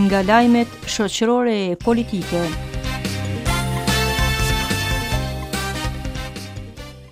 Nga lajmet shoqërore e politike.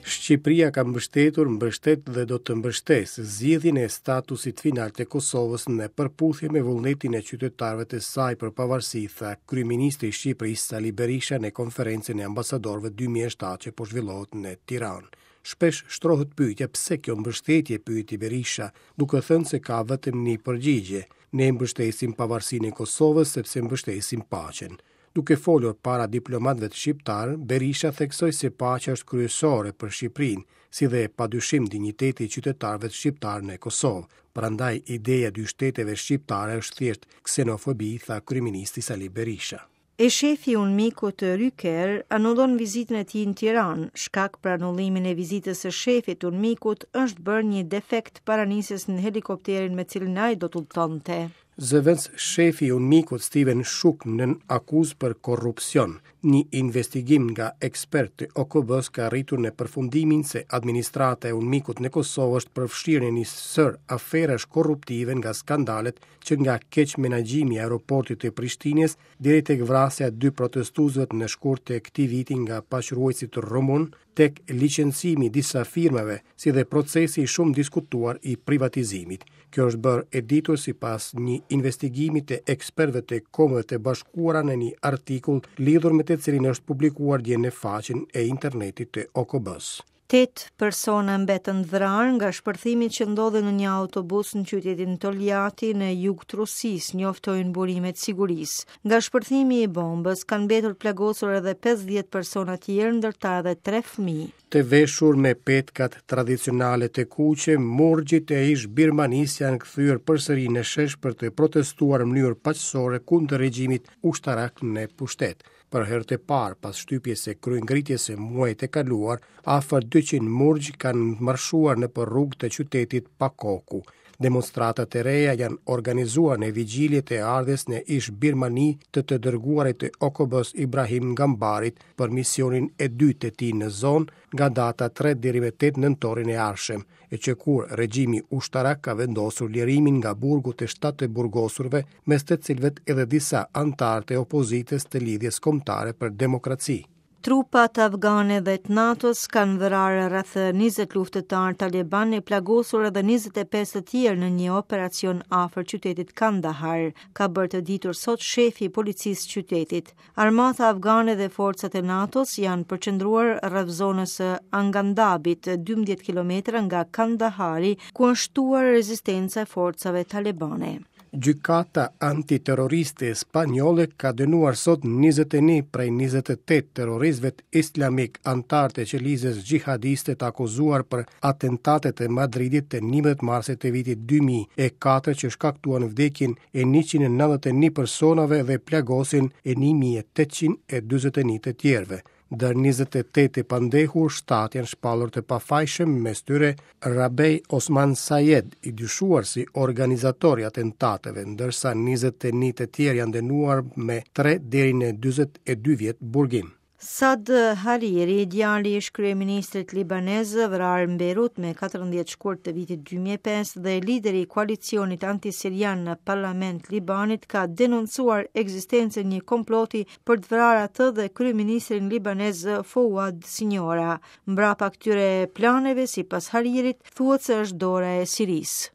Shqipëria ka mbështetur, mbështet dhe do të mbështesë zgjidhjen e statusit final të Kosovës në përputhje me vullnetin e qytetarëve të saj për pavarësi, tha kryeministri i Shqipërisë Sali Berisha në konferencën e ambasadorëve 2007 që po zhvillohet në Tiranë. Shpesh shtrohet pyetja pse kjo mbështetje, pyeti Berisha, duke thënë se ka vetëm një përgjigje, ne mbështesim pavarësinë e Kosovës sepse mbështesim paqen. Duke folur para diplomatëve shqiptarë, Berisha theksoi se paqja është kryesore për Shqipërinë, si dhe padyshim dinjiteti i qytetarëve shqiptarë në Kosovë. Prandaj ideja e dy shteteve shqiptare është thjesht ksenofobi, tha kryeministri Sali Berisha. E shefi i UNMIK-ut Ryker anullon vizitën e tij në Tiranë. Shkak për anullimin e vizitës së shefit të UNMIK-ut është bërë një defekt para nisjes në helikopterin me cilin ai do të udhëtonte. Zëvendës shefi i UNMIK-ut Steven Schuck nën akuzë për korrupsion. Një investigim nga ekspertë të OKB-së ka arritur në përfundimin se administrata e UNMIK-ut në Kosovë është përfshirë në një sërë aferash korruptive nga skandalet që nga keqmenaxhimi i aeroportit të Prishtinës deri tek vrasja e dy protestuesve në shkurt të këtij viti nga paqeruajtësit rumunë, tek licencimi i disa firmave, si dhe procesi i shumë diskutuar i privatizimit. Kjo është bërë e ditur sipas një investigimi të ekspertëve të Kombeve të Bashkuara në një artikull lidhur me të cilin është publikuar dje në faqen e internetit të OKB-së. Tetë persona mbetën të vrarë nga shpërthimi që ndodhi në një autobus në qytetin Toljati në jug të Rusisë, njoftojnë burimet e sigurisë. Nga shpërthimi i bombës kanë mbetur të plagosur edhe 50 persona tjerë, ndër ta edhe 3 fëmijë. Të veshur me petkat tradicionale të kuqe, murgjit e ish Birmanisë janë kthyer përsëri në shesh për të protestuar në mënyrë paqësore kundër regjimit ushtarak në pushtet. Për herë të parë pas shtypjes së kryengritjes së muajit të kaluar, afër 200 murgj kanë marshuar nëpër rrugë të qytetit Pakoku. Demonstratat e reja janë organizuar në vigjilje të ardhjes në ish Birmani të të dërguarit të OKB-së Ibrahim Gambarit për misionin e dytë të tij në zonë nga data 3 deri më 8 nëntorin e ardhshëm, e që kur regjimi ushtarak ka vendosur lirimin nga burgu të 7 të burgosurve, mes të cilëve edhe disa anëtarë të opozitës të Lidhjes Kombëtare për Demokraci. Trupat afgane dhe të NATO-s kanë vrarë rreth 20 luftëtarë talibanë e plagosur edhe 25 të tjerë në një operacion afër qytetit Kandahar, ka bërë të ditur sot shefi i policisë së qytetit. Armata afgane dhe forcat e NATO-s janë përqendruar rreth zonës së Arghandabit, 12 kilometra nga Kandahari, ku është shtuar rezistenca e forcave talibane. Gjykata antiterroriste spanjolle ka dënuar sot 21 prej 28 terroristëve islamikë anëtarë të qelizës xhihadiste të akuzuar për atentatet e Madridit të 11 marsit të vitit 2004 që shkaktuan vdekjen e 191 personave dhe plagosjen e 1841 të tjerëve. Ndër 28 të pandehur, 7 janë shpallur të pafajshëm, mes tyre Rabej Osman Sayed, i dyshuar si organizator i atentateve, ndërsa 21 të tjerë janë dënuar me 3 deri në 42 vjet burgim. Saad Hariri, djali i ish-kryeministrit libanez, vrarë në Bejrut me 14 shkurt të vitit 2005 dhe lideri i koalicionit antisirian në parlament Libanit ka denoncuar ekzistencën e një komploti për të vrarë atë dhe kryeministrin libanez Fouad Siniora. Mbrapa këtyre planeve, sipas Haririt, thuhet se është dora e Sirisë.